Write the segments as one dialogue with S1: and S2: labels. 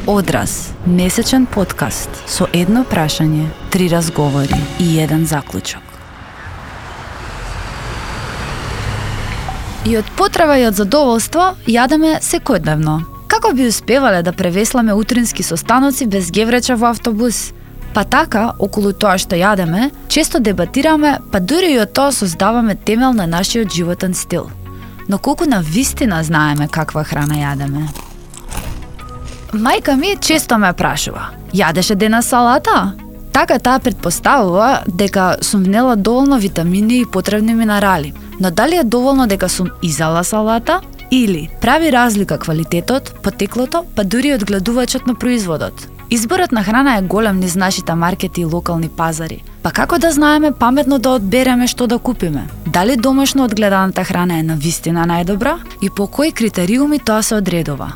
S1: Одраз, месечен подкаст со едно прашање, 3 разговори и 1 заклучок. И од потреба и од задоволство јадеме секојдневно. Како би успевале да превесламе утрински состаноци без гевреча во автобус? Па така, околу тоа што јадеме, често дебатираме, па дури и од тоа создаваме темел на нашиот животен стил. Но колку на вистина знаеме каква храна јадеме? Мајка ми често ме прашува: јадеше денес салата? Така таа претпоставува дека сум внела доволно витамини и потребни минерали. Но дали е доволно дека сум изала салата? Или прави разлика квалитетот, потеклото, па дури одгледувачот на производот? Изборот на храна е голем низ нашите маркети и локални пазари. Па како да знаеме паметно да одбереме што да купиме? Дали домашно одгледаната храна е навистина најдобра? И по кои критериуми тоа се одредува?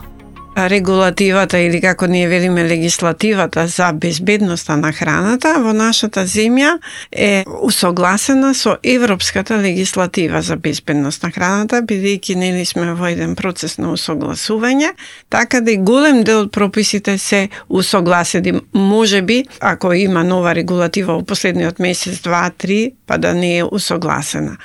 S2: Регулативата, или како ние велиме легислативата за безбедноста на храната во нашата земја е усогласена со европската легислатива за безбедност на храната, бидејќи нели сме во еден процес на усогласување, така да и голем дел од прописите се усогласени. Можеби, ако има нова регулатива во последниот месец, 2-3, па да не е усогласена.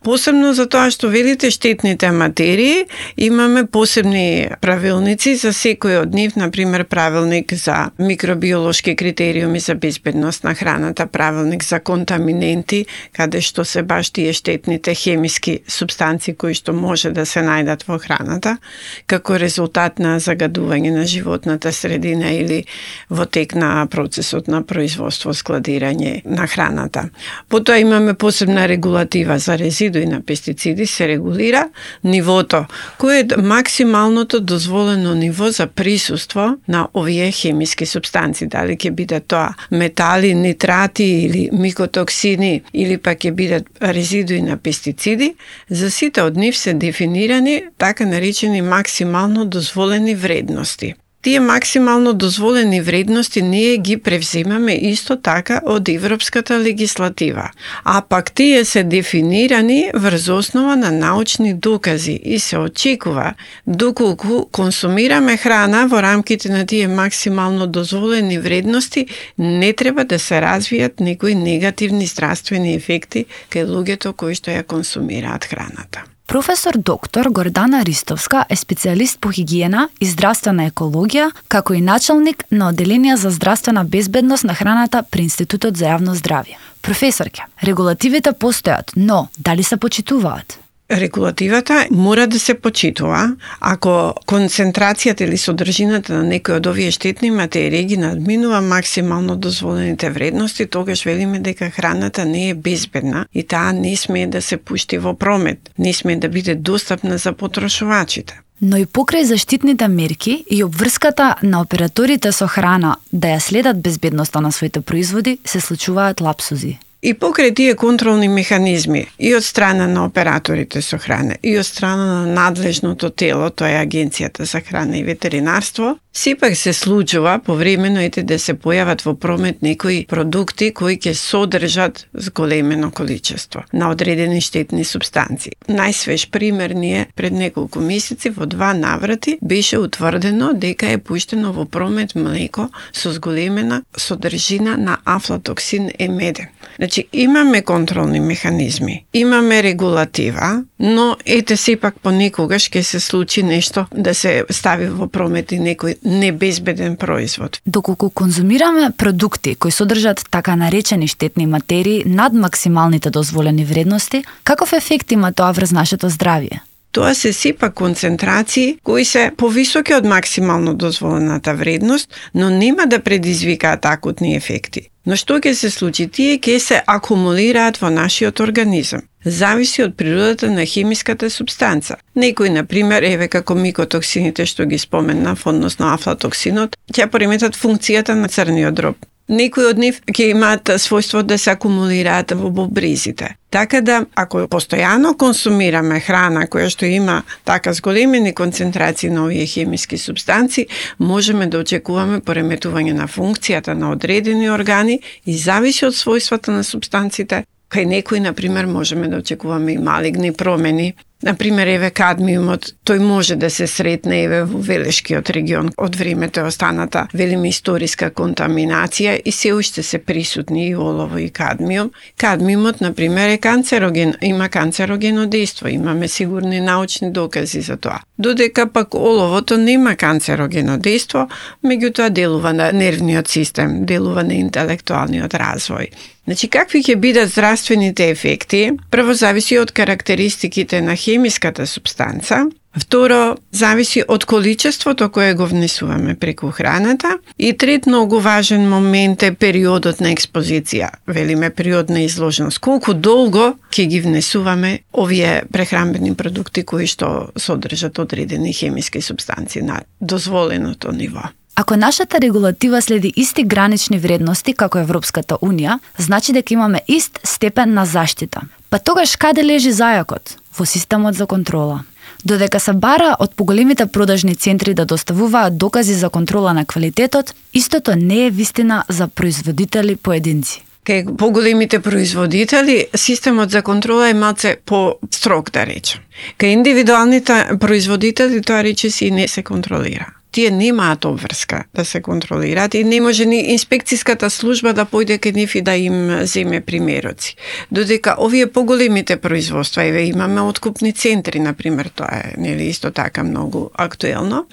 S2: Посебно за тоа што велите штетните материи, имаме посебни правилници за секој од нив, например правилник за микробиолошки критериуми за безбедност на храната, правилник за контаминенти, каде што се баш тие штетните хемиски супстанции кои што може да се најдат во храната, како резултат на загадување на животната средина или во тек на процесот на производство, складирање на храната. Потоа имаме посебна регулатива за резидуи на пестициди, се регулира нивото, кој е максималното дозволено ниво за присуство на овие хемиски супстанции. Дали ќе бидат тоа метали, нитрати или микотоксини, или пак ќе бидат резидуи на пестициди, за сите од нив се дефинирани така наречени максимално дозволени вредности. Тие максимално дозволени вредности ние ги превземаме исто така од европската легислатива, а пак тие се дефинирани врз основа на научни докази и се очекува доколку консумираме храна во рамките на тие максимално дозволени вредности, не треба да се развијат некои негативни здравствени ефекти кај луѓето кои што ја консумираат храната.
S1: Професор доктор Гордана Ристовска е специјалист по хигиена и здравствена екологија, како и началник на Оделение за здравствена безбедност на храната при Институтот за јавно здравје. Професорке, регулативите постојат, но дали се почитуваат?
S2: Регулативата мора да се почитува. Ако концентрацијата или содржината на некои од овие штетни материи ги надминува максимално дозволените вредности, тогаш велиме дека храната не е безбедна и таа не смее да се пушти во промет, не смее да биде достапна за потрошувачите.
S1: Но и покрај заштитните мерки и обврската на операторите со храна да ја следат безбедноста на своите производи, се случуваат лапсузи.
S2: И покрај тие контролни механизми и од страна на операторите со храна и од страна на надлежното тело, тоа е Агенцијата за храна и ветеринарство, сепак се случува повремено да се појават во промет некои продукти кои ќе содржат зголемено количество на одредени штетни супстанции. Најсвеж пример ни е пред неколку месеци во 2 наврати беше утврдено дека е пуштено во промет млеко со зголемена содржина на афлатоксин Е-меден. Значи, имаме контролни механизми, имаме регулатива, но сепак понекогаш ќе се случи нешто да се стави во промет и некој небезбеден производ.
S1: Доколку конзумираме продукти кои содржат така наречени штетни материи над максималните дозволени вредности, каков ефект има тоа врз нашето здравје?
S2: Тоа се сепак концентрации кои се повисоки од максимално дозволената вредност, но нема да предизвикаат акутни ефекти. Но што ќе се случи? Тие ќе се акумулираат во нашиот организам. Зависи од природата на хемиската супстанца. Некои, например, како микотоксините што ги споменав, односно афлатоксинот, ќе пореметат функцијата на црниот дроб. Некои од нив ќе имаат својство да се акумулираат во бубризите. Така да, ако постојано консумираме храна која што има така зголемени концентрации на овие хемиски супстанции, можеме да очекуваме пореметување на функцијата на одредени органи и зависи од својствата на супстанциите. Кај некои, например, можеме да очекуваме и малигни промени Например, еве кадмиумот, тој може да се сретне еве во Велешкиот регион. Од времето останата, велиме, историска контаминација и се уште се присутни и олово и кадмиум. Кадмиумот, например, е канцероген, има канцерогено дејство, имаме сигурни научни докази за тоа. Додека пак оловото нема канцерогено дејство, меѓутоа делува на нервниот систем, делува на интелектуалниот развој. Значи, какви ќе бидат здравствените ефекти? Прво, зависи од карактеристиките на хемиската супстанца. Второ, зависи од количеството кое го внесуваме преку храната. И трет, многу важен момент е периодот на експозиција. Велиме период на изложеност. Колку долго ќе ги внесуваме овие прехранбени продукти кои што содржат одредени хемиски супстанци на дозволеното ниво.
S1: Ако нашата регулатива следи исти гранични вредности како Европската Унија, значи дека имаме ист степен на заштита. Па тогаш каде лежи зајакот? Во системот за контрола. Додека се бара од поголемите продажни центри да доставуваат докази за контрола на квалитетот, истото не е вистина за производители поединци.
S2: Кај поголемите производители, системот за контрола е малце по-строг, да речем. Кај индивидуалните производители, тоа речиси не се контролира. Тие немаат обврска да се контролираат и не може ни инспекцијската служба да појде кај нив и да им земе примероци. Додека овие поголемите производства, еве имаме откупни центри, например, тоа е нели исто така многу актуелно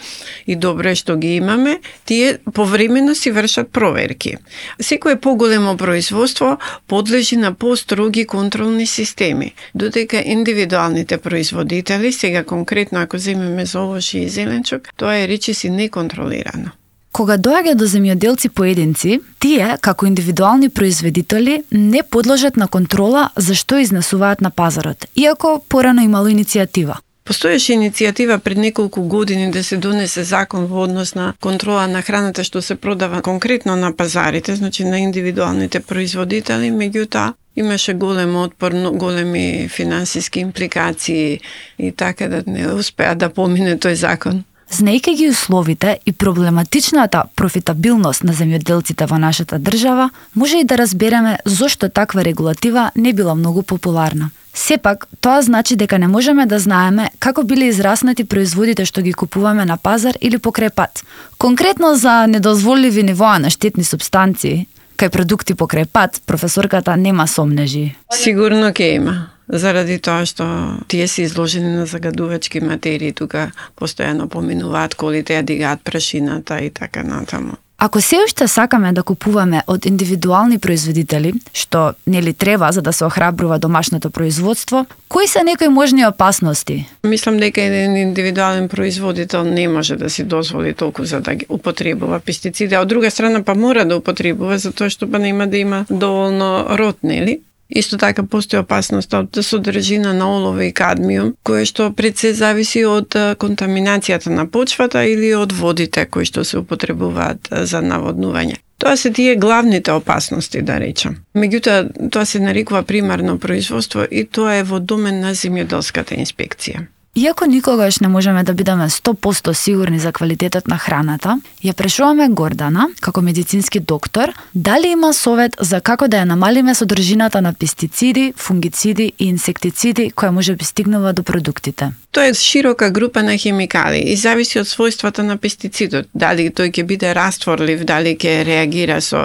S2: и добро е што ги имаме, тие повремено си вршат проверки. Секое поголемо производство подлежи на построги контролни системи, додека индивидуалните производители, сега конкретно ако земеме за овошје и зеленчук, тоа е речиси неконтролирано.
S1: Кога доаѓа до земјоделци поединци, тие, како индивидуални производители, не подлежат на контрола за што изнесуваат на пазарот, иако порано имало иницијатива.
S2: Постоеше иницијатива пред неколку години да се донесе закон во однос на контрола на храната што се продава конкретно на пазарите, значи на индивидуалните производители, меѓутоа имаше голем отпор, големи финансиски импликации и така да не успеа да помине тој закон.
S1: Знаејќи ги условите и проблематичната профитабилност на земјоделците во нашата држава, може и да разбереме зошто таква регулатива не била многу популарна. Сепак, тоа значи дека не можеме да знаеме како биле израснати производите што ги купуваме на пазар или покрај пат. Конкретно за недозволиви нивоа на штетни супстанции, кај продукти покрај пат, професорката нема сомнежи.
S2: Сигурно ќе има. Заради тоа што тие се изложени на загадувачки материи, тука постојано поминуваат колите, ја дигаат прашината и така натаму.
S1: Ако се уште сакаме да купуваме од индивидуални производители, што нели треба за да се охрабрува домашното производство, кои се некои можни опасности?
S2: Мислам дека еден индивидуален производител не може да си дозволи толку за да ги употребува пестициди, а од друга страна па мора да употребува затоа што па нема да има доволно род, нели? Исто така постои опасност од содржина на олово и кадмиум, кое што пред се зависи од контаминацијата на почвата или од водите кои што се употребуваат за наводнување. Тоа се тие главните опасности, да речем. Меѓутоа, тоа се нарекува примарно производство и тоа е во домен на земјоделската инспекција.
S1: Иако никогаш не можеме да бидеме 100% сигурни за квалитетот на храната, ја прашуваме Гордана, како медицински доктор, дали има совет за како да ја намалиме содржината на пестициди, фунгициди и инсектициди која може би стигнува до продуктите.
S2: Тоа е широка група на хемикали и зависи од својствата на пестицидот. Дали тој ќе биде растворлив, дали ќе реагира со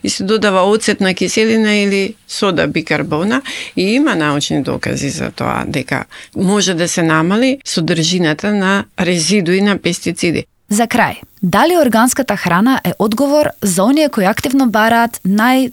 S2: и се додава оцетна киселина или сода бикарбона и има научни докази за тоа дека може да се намали содржината на резидуи на пестициди.
S1: За крај, дали органската храна е одговор за оние кои активно бараат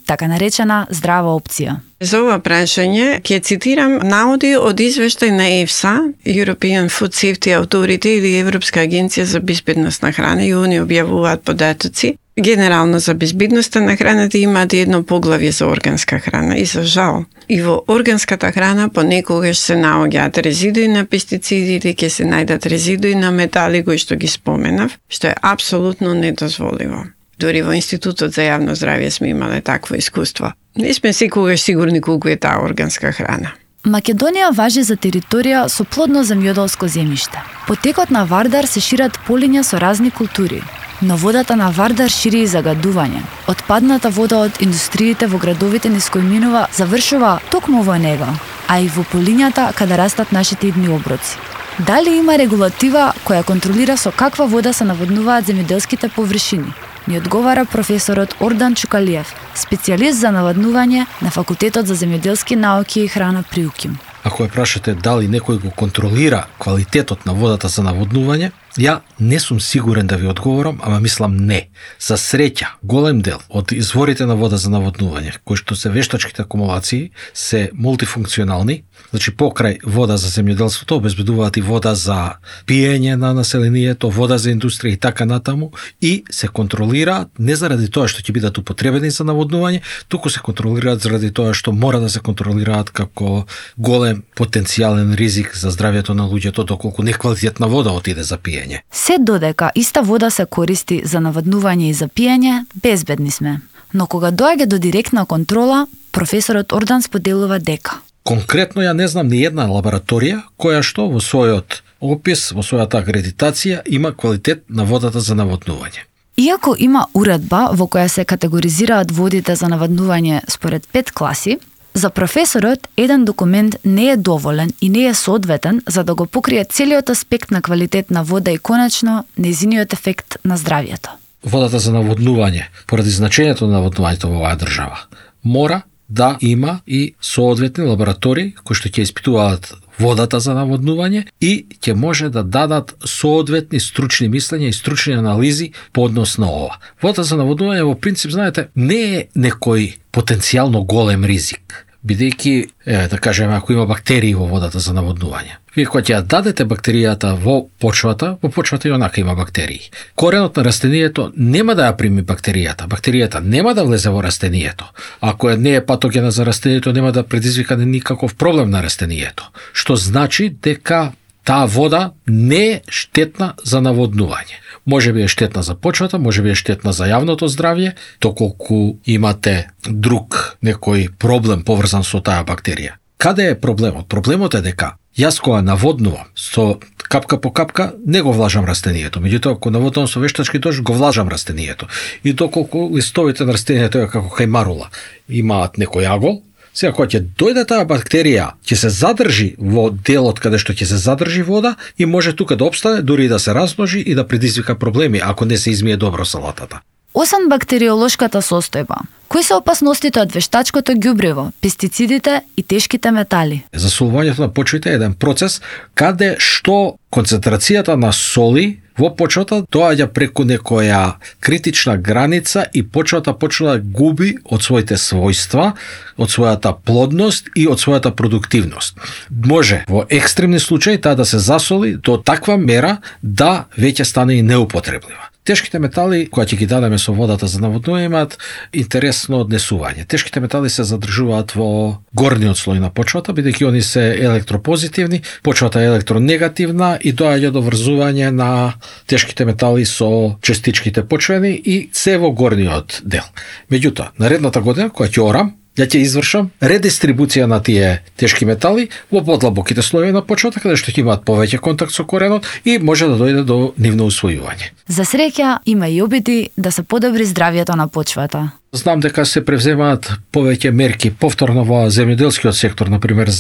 S1: така наречена здрава опција?
S2: За ова прашање ќе цитирам наводи од извештај на EFSA, European Food Safety Authority или Европска агенција за безбедност на храна, и они објавуваат податоци. Генерално за безбедноста на храната имаат едно поглавје за органска храна и за жал. И во органската храна понекогаш се наоѓаат резидуи на пестициди или ќе се најдат резидуи на метали кои што ги споменав, што е апсолутно недозволиво. Дори во Институтот за јавно здравје сме имале такво искуство. Не сме секогаш сигурни колку е таа органска храна.
S1: Македонија важи за територија со плодно земјоделско земјиште. По текот на Вардар се шират полиња со разни култури, но водата на Вардар шири и загадување. Отпадната вода од индустриите во градовите низ кои минува завршува токму во него. а и во полињата каде растат нашите идни оброци. Дали има регулатива која контролира со каква вода се наводнуваат земјоделските површини? Ни одговара професорот Ордан Чукалиев, специјалист за наводнување на Факултетот за земјоделски науки и храна при УКИМ.
S3: Ако ја прашате дали некој го контролира квалитетот на водата за наводнување, ја не сум сигурен да ви одговорам, ама мислам не. За среќа, голем дел од изворите на вода за наводнување, кои што се вештачките акумулации, се мултифункционални, значи покрај вода за земјоделството обезбедуваат и вода за пиење на населението, вода за индустрија и така натаму, и се контролираат не заради тоа што ќе бидат употребени за наводнување, туку се контролираат заради тоа што мора да се контролираат како голем потенцијален ризик за здравјето на луѓето доколку неквалитетна вода отиде за пиење.
S1: Се додека иста вода се користи за наводнување и за пиење, безбедни сме. Но кога доаѓа до директна контрола, професорот Ордан споделува дека
S3: конкретно ја не знам ни една лабораторија која што во својот опис, во својата акредитација има квалитет на водата за наводнување.
S1: Иако има уредба во која се категоризираат водите за наводнување според 5 класи, за професорот еден документ не е доволен и не е соодветен за да го покрие целиот аспект на квалитет на вода и конечно нејзиниот ефект на здравјето.
S3: Водата за наводнување, поради значењето на наводнувањето во оваа држава, мора да има и соодветни лаборатории кои што ќе испитуваат водата за наводнување и ќе може да дадат соодветни стручни мислења и стручни анализи по однос на ова. Водата за наводнување во принцип, знаете, не е некој потенцијално голем ризик, бидејќи, да кажеме, ако има бактерии во водата за наводнување. Вие кога ќе ја дадете бактеријата во почвата и онака има бактерии. Коренот на растението нема да ја прими бактеријата нема да влезе во растението. Ако не е патогена за растението, нема да предизвика никаков проблем на растението. Што значи дека таа вода не е штетна за наводнување. Може би е штетна за почвата, може би е штетна за јавното здравје, доколку имате друг некој проблем поврзан со таа бактерија. Каде е проблемот? Проблемот е дека јас кога наводнувам со капка по капка, не го влажам растението. Меѓутоа, ако наводнувам со вештачки дожд, го влажам растението. И доколку листовите на растението е како хајмарула, имаат некој агол, сега кога ќе дојде таа бактерија, ќе се задржи во делот каде што ќе се задржи вода и може тука да опстане, дури и да се размножи и да предизвика проблеми ако не се измие добро салатата.
S1: Освен бактериолошката состојба, кои се опасностите од вештачкото ѓубриво, пестицидите и тешките метали?
S3: Засолувањето на почвите е еден процес каде што концентрацијата на соли во почвата доаѓа преку некоја критична граница и почвата почна да губи од своите својства, од својата плодност и од својата продуктивност. Може во екстремни случаи таа да се засоли до таква мера да веќе стане и неупотреблива. Тешките метали, кои ќе ги дадеме со водата за наводнување, имаат интересно однесување. Тешките метали се задржуваат во горниот слој на почвата, бидејќи они се електропозитивни, почвата е електронегативна и доаѓа до врзување на тешките метали со частичките почвени и се во горниот дел. Меѓутоа, наредната година, која ќе орам, ја ќе извршам редистрибуција на тие тешки метали во подлабоките слоеви на почвата, каде што ќе имаат повеќе контакт со коренот и може да дојде до нивно усвојување.
S1: За среќа има и обиди да се подобри здравјето на почвата.
S3: Знам дека се превземаат повеќе мерки повторно во земјоделскиот сектор, например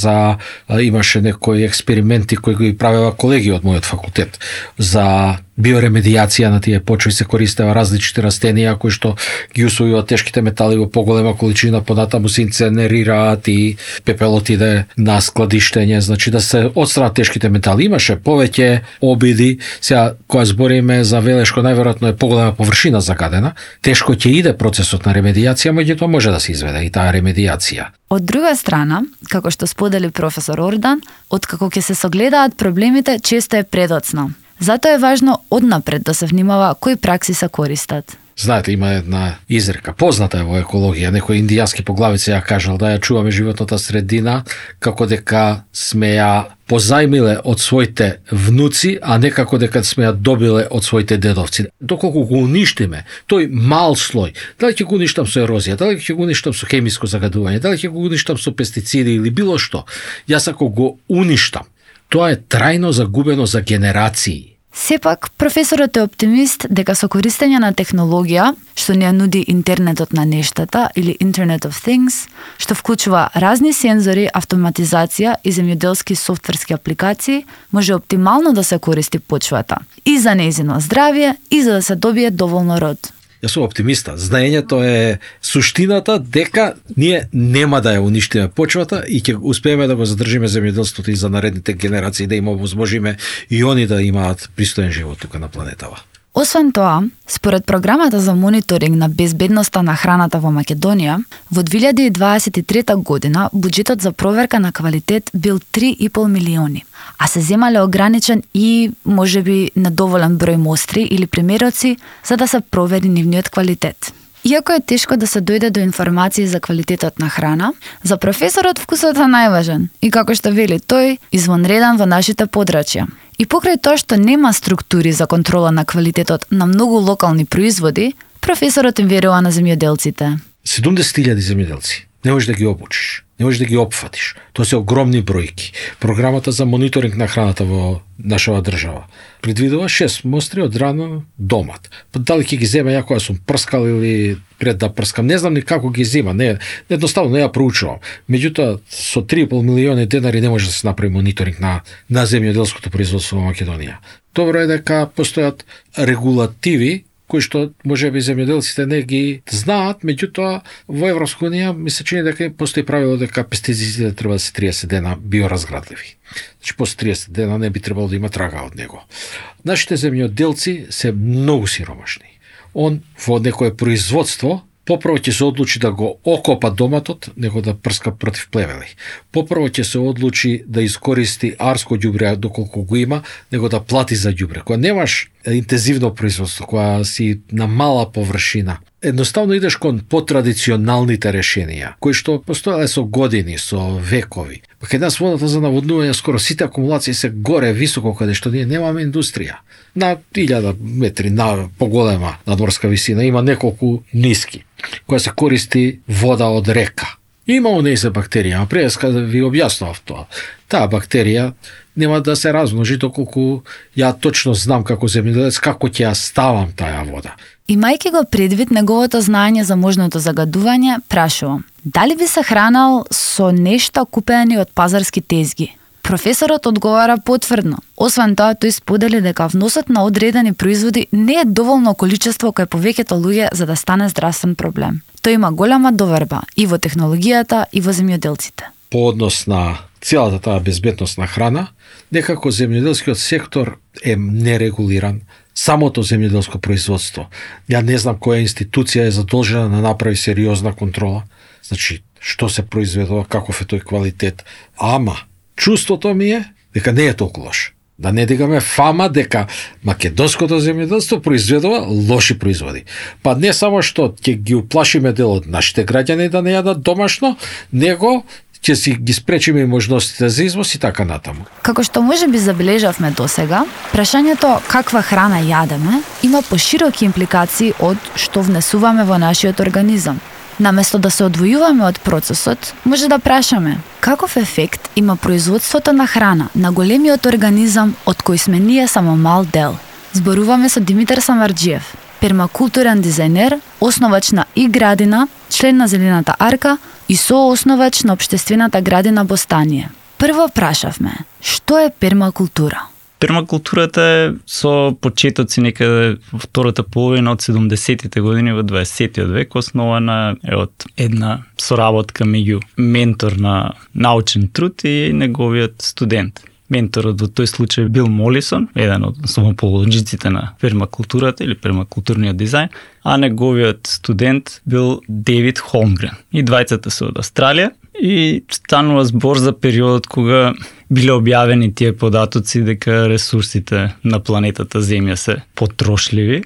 S3: имаше некои експерименти кои ги правеа колеги од мојот факултет за биоремедијација на тие почви, се користеа различни растенија кои што ги усвојуваат тешките метали во поголема количина, понатаму се инценерираат и пепелот иде на складиштење, значи да се отстранат тешките метали. Имаше повеќе обиди, сега кога збориме за Велешко, најверојатно е поголема површина загадена, тешко ќе иде процесот на ремедијација, меѓутоа може да се изведе и таа ремедијација.
S1: Од друга страна, како што сподели професор Ордан, откако ќе се согледаат проблемите, често е предоцна. Затоа е важно однапред да се внимава кои пракси се користат.
S3: Знаете, има една изрека, позната е во екологија, некој индијански поглавица ја кажал да ја чуваме животната средина како дека сме ја позајмиле од своите внуци, а не како дека сме ја добиле од своите дедовци. Доколку го уништиме, тој мал слој, дали ќе го уништам со ерозија, дали ќе го уништам со хемиско загадување, дали ќе го уништам со пестициди или било што, јас ако го уништам, тоа е трајно загубено за генерации.
S1: Сепак, професорот е оптимист дека со користење на технологија, што ни ја нуди интернетот на нештата или Internet of Things, што вклучува разни сензори, автоматизација и земјоделски софтверски апликации, може оптимално да се користи почвата и за нејзино здравје и за да се добие доволно род.
S3: Јас сум оптимиста. Знаењето е суштината дека ние нема да ја уништиме почвата и ќе успееме да го задржиме земјоделството и за наредните генерации, да им овозможиме и они да имаат пристоен живот тука на планетава.
S1: Освен тоа, според програмата за мониторинг на безбедноста на храната во Македонија, во 2023 година буџетот за проверка на квалитет бил 3,5 милиони, а се земале ограничен и можеби недоволен број мостри или примероци за да се провери нивниот квалитет. Иако е тешко да се дојде до информации за квалитетот на храна, за професорот вкусот е најважен и како што вели тој, извонреден во нашите подрачја. И покрај тоа што нема структури за контрола на квалитетот на многу локални производи, професорот им верува на земјоделците.
S3: 70.000 земјоделци. Не можеш да ги обучиш, не можеш да ги опфатиш. Тоа се огромни бројки. Програмата за мониторинг на храната во нашава држава предвидува 6 мостри од рано домат. Дали ќе ги земе ја која сум прскал или пред да прскам, не знам ни како ги зема, не, едноставно не ја проучувам. Меѓутоа, со 3,5 милиони денари не може да се направи мониторинг на земјоделското производство во Македонија. Добро е дека постојат регулативи кои што можеби земјоделците не ги знаат, меѓутоа во Европска унија ми се чини дека постои правило дека пестицидите треба да се 30 дена биоразградливи. Значи после 30 дена не би требало да има трага од него. Нашите земјоделци се многу сиромашни. Он во некое производство попрво ќе се одлучи да го окопа доматот, него да прска против плевели. Попрво ќе се одлучи да искористи арско ѓубре доколку го има, него да плати за ѓубре. Кога немаш интензивно производство, кога си на мала површина, едноставно идеш кон потрадиционалните решенија, кои што постоеле со години, со векови. Кај нас водата за наводнување, скоро сите акумулации се горе високо, каде што ние немаме индустрија. На 1000 метри на поголема надморска висина има неколку ниски, која се користи вода од река. Има онези бактерија, а пред да ви објаснував тоа. Таа бактерија нема да се размножи доколку ја точно знам како земјоделец како ќе ја ставам таа вода.
S1: Имајќи го предвид неговото знаење за можното загадување, прашувам, дали би се хранал со нешта купени од пазарски тезги? Професорот одговара потврдно. Освен тоа, тој сподели дека вносот на одредени производи не е доволно количество кај повеќето луѓе за да стане здравствен проблем. Тој има голема доверба и во технологијата и во земјоделците.
S3: По однос на целата таа безбедност на храна, некако земјоделскиот сектор е нерегулиран. Самото земјоделско производство. Ја не знам која институција е задолжена да направи сериозна контрола. Значи, што се произведува, каков е тој квалитет. Ама, чувството ми е дека не е толку лош. Да не дигаме фама дека македонското земјоделство произведува лоши производи. Па не само што ќе ги уплашиме дел од нашите граѓани да не јадат домашно, него ќе си ги спречиме и можностите за извоз и така натаму.
S1: Како што можеби забележавме досега, прашањето каква храна јадеме има пошироки импликации од што внесуваме во нашиот организам. Наместо да се одвојуваме од процесот, може да прашаме каков ефект има производството на храна на големиот организам од кој сме ние само мал дел. Зборуваме со Димитар Самарџиев, пермакултурен дизајнер, основач на И градина, член на Зелената арка и соосновач на општествената градина Бостание. Прво прашавме, што е пермакултура?
S4: Пермакултурата е со почетоци некаде во втората половина од 70-тите години во 20-тиот век, основана е од една соработка меѓу ментор на научен труд и неговиот студент. Менторот во тој случај бил Молисон, еден од основоположниците на пермакултурата или пермакултурниот дизајн, а неговиот студент бил Дейвид Холмгрен. И двајцата се од Австралија и станува збор за периодот кога биле објавени тие податоци дека ресурсите на планетата Земја се потрошливи.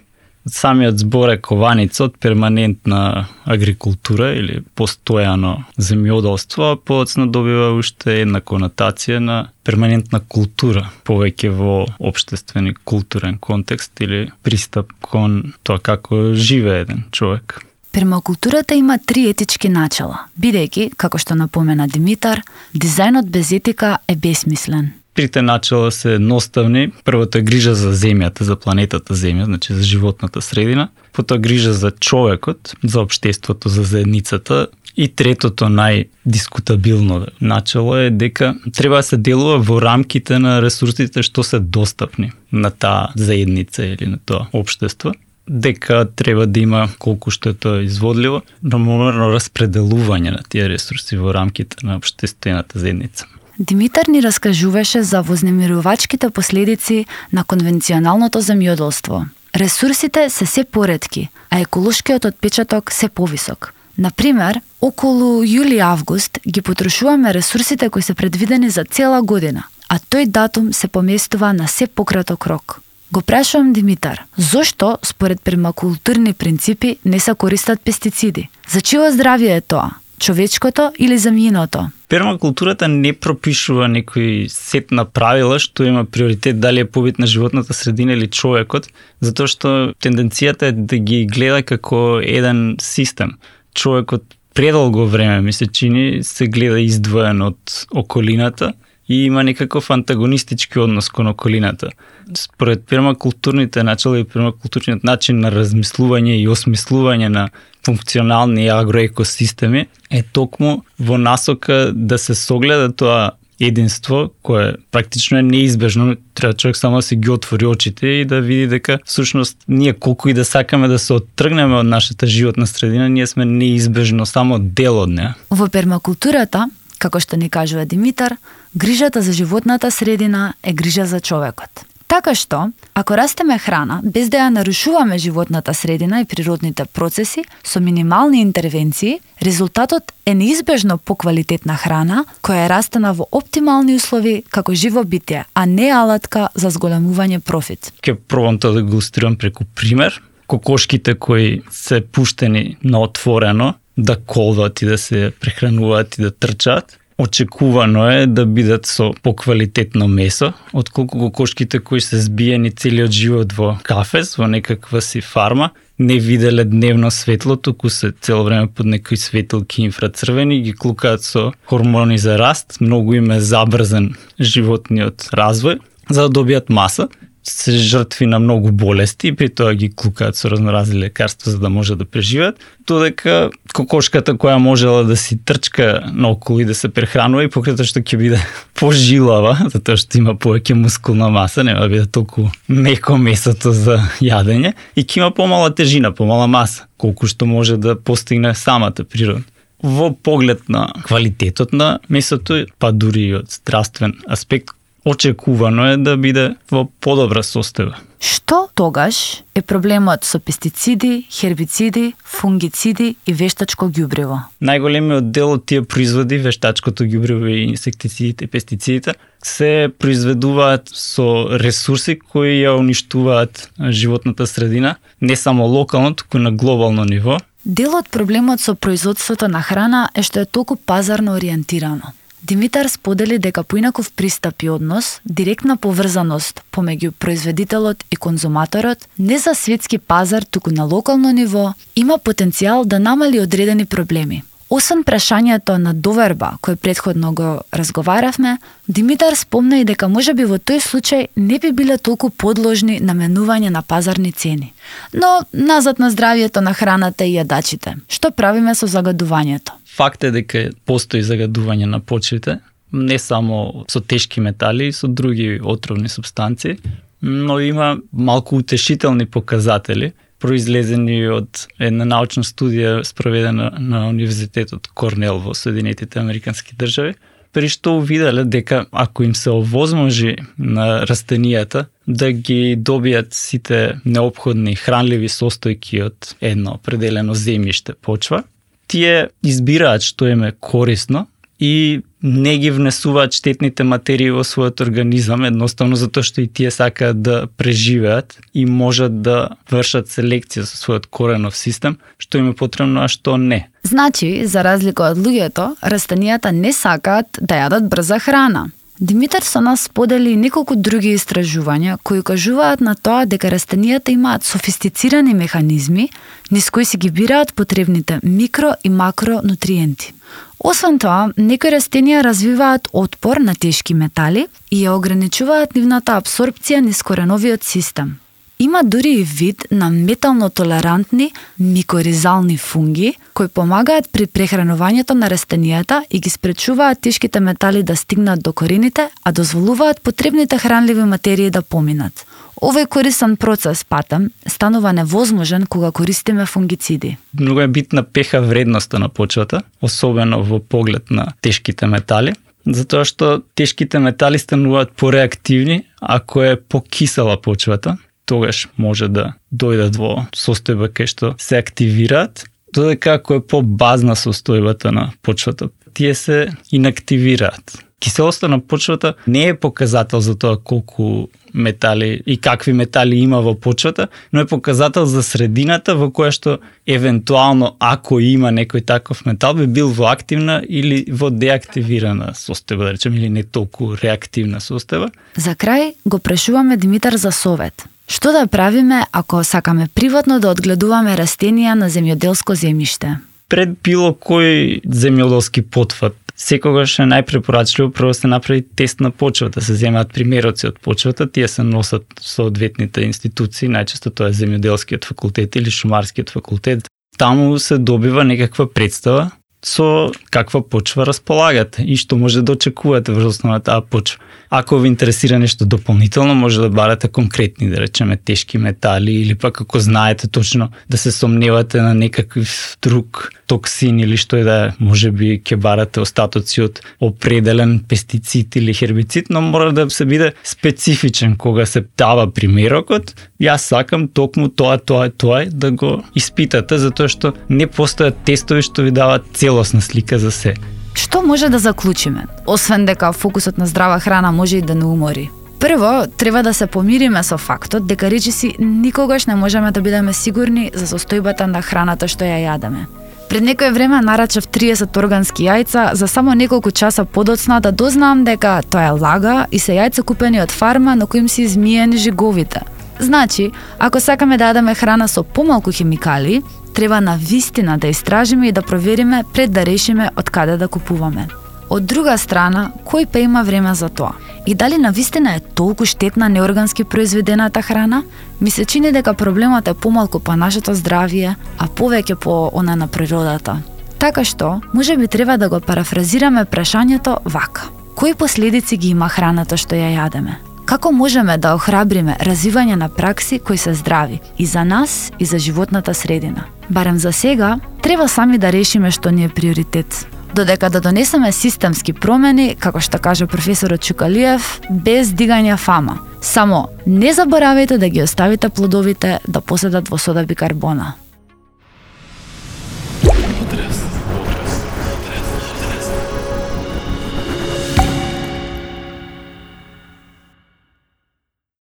S4: Самиот збор е кованица од перманентна агрикултура или постојано земјоделство, а подоцна добива уште една конотација на перманентна култура, повеќе во општествен и културен контекст или пристап кон тоа како живее еден човек.
S1: Пермакултурата има 3 етички начала, бидејќи, како што напомена Димитар, дизајнот без етика е бесмислен.
S4: Трите начала се едноставни. Првото е грижа за земјата, за планетата Земја, значи за животната средина. Потоа грижа за човекот, за општеството, за заедницата. И третото најдискутабилно начало е дека треба да се делува во рамките на ресурсите што се достапни на таа заедница или на тоа општество. Дека треба да има, колку што е тоа изводливо, рамномерно распределување на тие ресурси во рамките на општествената заедница.
S1: Димитар ни раскажуваше за вознемирувачките последици на конвенционалното земјоделство. Ресурсите се поретки, а еколошкиот отпечаток се повисок. Например, околу јули-август ги потрошуваме ресурсите кои се предвидени за цела година, а тој датум се поместува на се пократок рок. Го прашувам Димитар, зошто според пермакултурни принципи не се користат пестициди? За чие здравје е тоа? Човечкото или земјиното?
S4: Пермакултурата не пропишува некој сет на правила што има приоритет дали е побитна животната средина или човекот, затоа што тенденцијата е да ги гледа како еден систем. Човекот предолго време, ми се чини, се гледа издвоен од околината и има некаков антагонистички однос кон околината. Според пермакултурните начала и пермакултурниот начин на размислување и осмислување на функционални агроекосистеми е токму во насока да се согледа тоа единство кое практично е неизбежно, треба човек само да си ги отвори очите и да види дека всушност ние колку и да сакаме да се оттргнеме од нашата животна средина, ние сме неизбежно само дел од неа.
S1: Во пермакултурата, како што ни кажува Димитар, грижата за животната средина е грижа за човекот. Така што, ако растеме храна без да ја нарушуваме животната средина и природните процеси со минимални интервенции, резултатот е неизбежно поквалитетна храна која е растена во оптимални услови како живо битие, а не алатка за зголемување профит.
S4: Ке пробам тоа да го илустрирам преку пример. Кокошките кои се пуштени на отворено да колват и да се прехрануваат и да трчаат, очекувано е да бидат со поквалитетно месо, отколку кокошките кои се збиени целиот живот во кафез, во некаква си фарма, не виделе дневно светло, туку се цело време под некои светилки инфрацрвени, ги клукаат со хормони за раст, многу им е забрзан животниот развој, за да добијат маса, се жртви на многу болести и при тоа ги клукаат со разноразни лекарства за да може да преживеат, додека кокошката која можела да си трчка наоколу и да се прехранува и покрај тоа што ќе биде пожилава, затоа што има повеќе мускулна маса, нема да биде толку меко месото за јадење и ќе има помала тежина, помала маса, колку што може да постигне самата природа. Во поглед на квалитетот на месото, па дури и од здравствен аспект, очекувано е да биде во подобра состојба.
S1: Што тогаш е проблемот со пестициди, хербициди, фунгициди и вештачко ѓубриво?
S4: Најголемиот дел од тие производи, вештачкото ѓубриво и инсектицидите и пестицидите, се произведуваат со ресурси кои ја уништуваат животната средина, не само локално, туку на глобално ниво.
S1: Дел од проблемот со производството на храна е што е толку пазарно ориентирано. Димитар сподели дека поинаков пристап и однос, директна поврзаност помеѓу производителот и конзуматорот, не за светски пазар, туку на локално ниво, има потенцијал да намали одредени проблеми. Освен прашањето на доверба, кој претходно го разговаравме, Димитар спомна и дека можеби во тој случај не би биле толку подложни на менување на пазарни цени. Но назад на здравјето на храната и јадачите. Што правиме со загадувањето?
S4: Факт е дека постои загадување на почвите, не само со тешки метали, и со други отровни супстанции, но има малку утешителни показатели, произлезени од една научна студија спроведена на Универзитетот Корнел во Соединетите Американски држави, при што увиделе дека ако им се овозможи на растенијата да ги добијат сите неопходни хранливи состојки од едно определено земјиште почва, тие избираат што им е корисно и не ги внесуваат штетните материи во својот организам, едноставно затоа што и тие сакаат да преживеат и можат да вршат селекција со својот коренов систем, што им е потребно, а што не.
S1: Значи, за разлика од луѓето, растенијата не сакаат да јадат брза храна. Димитар со нас сподели неколку други истражувања кои кажуваат на тоа дека растенијата имаат софистицирани механизми низ кои си ги бираат потребните микро и макронутриенти. Освен тоа, некои растенија развиваат отпор на тешки метали и ја ограничуваат нивната апсорбција низ кореновиот систем. Има дури и вид на метално толерантни микоризални фунги кои помагаат при прехранувањето на растенијата и ги спречуваат тешките метали да стигнат до корените, а дозволуваат потребните хранливи материи да поминат. Овој корисен процес патем станува невозможен кога користиме фунгициди.
S4: Многу е битна пеха вредноста на почвата, особено во поглед на тешките метали, затоа што тешките метали стануваат пореактивни ако е покисела почвата. Тогаш може да дојдат во состојба кај што се активираат, додека ако е по-базна состојбата на почвата, тие се инактивираат. Киселоста на почвата не е показател за тоа колку метали и какви метали има во почвата, но е показател за средината во која што евентуално ако има некој таков метал би бил во активна или во деактивирана состојба, да речем, или не толку реактивна состојба.
S1: За крај го прашуваме Димитар за совет. Што да правиме ако сакаме приватно да одгледуваме растенија на земјоделско земјиште?
S4: Пред било кој земјоделски потфат, секогаш е најпрепорачливо прво се направи тест на почвата, се земаат примероци од почвата, тие се носат соодветните институции, најчесто тоа е земјоделскиот факултет или шумарскиот факултет. Таму се добива некаква представа со каква почва располагате и што може да очекувате врз основа на таа почва. Ако ви интересира нешто дополнително, може да барате конкретни, да речеме, тешки метали или пак ако знаете точно да се сомневате на некакв друг токсин или што е да е, може би ќе барате остатоци од определен пестицид или хербицид, но мора да се биде специфичен кога се дава примерокот. Јас сакам токму тоа да го испитате, затоа што не постојат тестови што ви даваат целосна слика за се.
S1: Што може да заклучиме? Освен дека фокусот на здрава храна може и да не умори. Прво, треба да се помириме со фактот дека речиси никогаш не можеме да бидеме сигурни за состојбата на храната што ја јадеме. Пред некое време нарачав 30 органски јајца за само неколку часа подоцна да дознаам дека тоа е лага и се јајца купени од фарма на коим се измиени жиговите. Значи, ако сакаме да јадеме храна со помалку хемикали, треба на вистина да истражиме и да провериме пред да решиме од каде да купуваме. Од друга страна, кој па има време за тоа? И дали на вистина е толку штетна неоргански произведената храна? Ми се чини дека проблемот е помалку по нашето здравје, а повеќе по она на природата. Така што, може би треба да го парафразираме прашањето вака. Кои последици ги има храната што ја јадеме? Како можеме да охрабриме развивање на пракси кои се здрави и за нас и за животната средина? Барем за сега, треба сами да решиме што ни е приоритет. Додека да донесеме системски промени, како што каже професорот Чукалиев, без дигање фама. Само не заборавајте да ги оставите плодовите да поседат во сода бикарбона.